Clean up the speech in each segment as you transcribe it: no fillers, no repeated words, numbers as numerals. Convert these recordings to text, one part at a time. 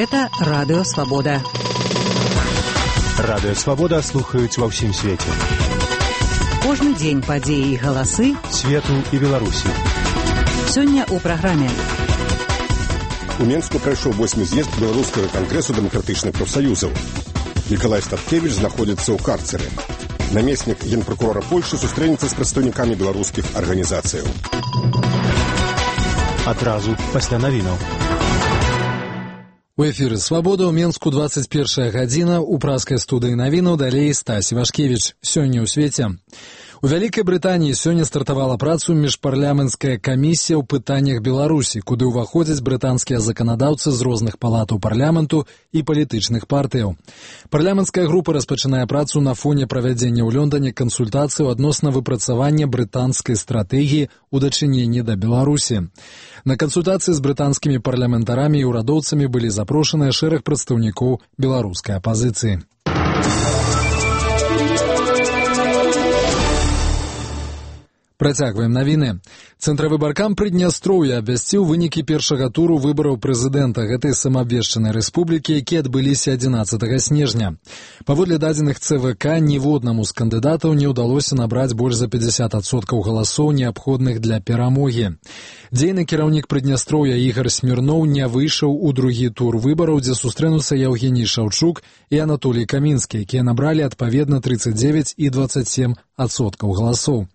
Гэта Радыё Свабода. Радыё Свабода слухаюць ва ўсім свеце. Кожны дзень падзеі і галасы свету і Беларусі. Сёння ў праграме. У Менску прайшоў 8-й з'езд Беларускага кангрэсу дэмакратычных прафсаюзаў. Мікалай Статкевіч знаходзіцца ў карцеры. Намеснік генпракурора Польшы сустрэнецца з прадстаўнікамі беларускіх арганізацыяў. Адразу пасля навінаў. У эфіры «Свабода» ў Менску 21 гадзіна. У праскай студыі навінаў далей Стась Івашкевіч. Сёння ў свеце. У Вялікай Брытаніі сёння стартавала працу міжпарламенцкая камісія ў пытаннях Беларусі, куды ўваходзяць брытанскія заканадаўцы з розных палатаў парламенту і палітычных партыяў. Парламенцкая група распачынае працу на фоне правядзення ў Лондане кансультацыяў адносна выпрацавання брытанскай стратэгіі ў дачыненні да Беларусі. На кансультацыі з брытанскімі парламентарамі і ўрадоўцамі былі запрошаныя шэраг прадстаўнікоў беларускай апазіцыі. Працягваем навіны. Цэнтравыбаркам Прыднястроўя абвясціў вынікі першага туру выбараў прэзідэнта гэтай самаабвешчанай рэспублікі, якія адбыліся 11 снежня. Паводле дадзеных ЦВК, ніводнаму з кандыдатаў не ўдалося набраць больш за 50% галасоў, неабходных для перамогі. Дзейны кіраўнік Прыднястроўя Ігар Смірноў не выйшаў у другі тур выбараў, дзе сустрэнуцца Яўгеній Шаўчук і Анатолій Камінскі, якія набралі адпаведна 39 і 27% галасоў.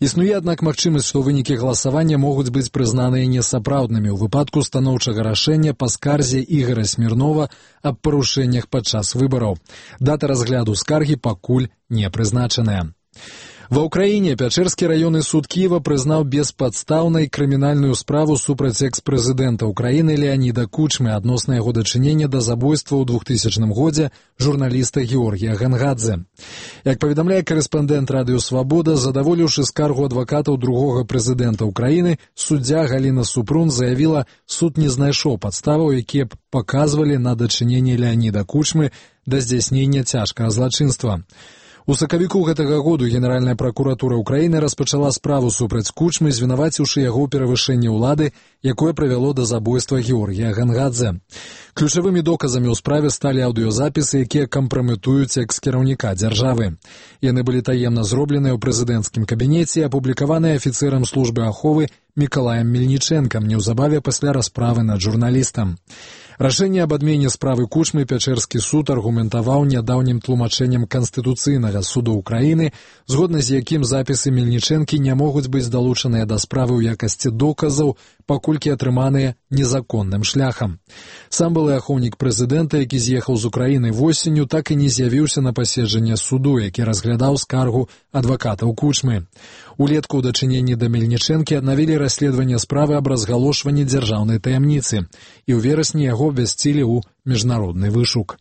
Існуе, аднак, магчымасць, што вынікі галасавання могуць быць прызнаныя несапраўднымі ў выпадку станоўчага рашэння па скарзе Ігара Смірнова аб парушэннях падчас выбараў. Дата разгляду скаргі пакуль не прызначаная. Ва ўкраіне Пячэрскі раённы суд Кіева прызнаў беспадстаўнай крымінальную справу супраць экс-прэзідэнта Украіны Леаніда Кучмы адносна яго дачынення да забойства ў 2000 годзе журналіста Георгія Гангадзе. Як паведамляе корэспандэнт Радыё Свабода, задаволіўшы скаргу адвакатаў другога прэзідэнта Украіны, суддзя Галіна Супрун заявіла, суд не знайшоў падставаў, якія б паказвалі на дачыненне Леаніда Кучмы да здзяйснення цяжкага злачынства. У сакавіку гэтага году Генеральная пракуратура Украіны распачала справу супраць Кучмы, звінаваціўшы яго ў перавышэнні ўлады, якое прывяло да забойства Георгія Гангадзе. Ключавымі доказамі ў справе сталі аўдыёзапісы, якія кампраметуюць экс-кіраўніка дзяржавы. Яны былі таемна зробленыя ў прэзідэнцкім кабінеце і апублікаваныя афіцэрам службы аховы Мікалаем Мельнічэнкам неўзабаве пасля расправы над журналістам. Рашэнне аб адмене справы Кучмы Пячэрскі суд аргументаваў нядаўнім тлумачэннем Канстытуцыйнага суду Украіны, згодна з якім запісы Мельнічэнкі не могуць быць далучаныя да справы ў якасці доказаў, паколькі атрыманыя незаконным шляхам. Сам былы ахоўнік прэзідэнта, які з'ехаў з Украіны восенню, так і не з'явіўся на паседжанне суду, які разглядаў скаргу адвакатаў Кучмы. Улетку ў дачыненні да Мельнічэнкі аднавілі расследаванне справы аб разгалошванні дзяржаўнай таямніцы, і ў верасні яго абвясцілі ў міжнародны вышук.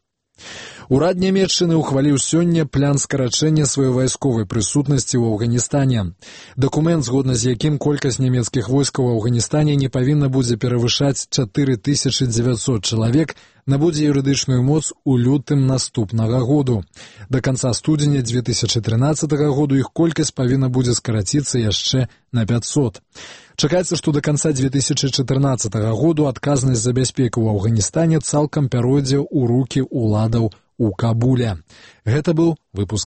Урад Нямецчыны ўхваліў сёння план скарачэння сваёй вайсковай прысутнасці ў Афганістане. Дакумент, згодна з якім колькасць нямецкіх войскаў у Афганістане не павінна будзе перавышаць 4900 чалавек, набудзе юрыдычную моц у лютым наступнага году. Да канца студзеня 2013 году іх колькасць павінна будзе скараціцца яшчэ на 500. Чакаецца, што да канца 2014 году адказнасць за бяспеку ў Афганістане цалкам пяройдзе ў рукі ўладаў у Кабуле. Гэта быў выпуск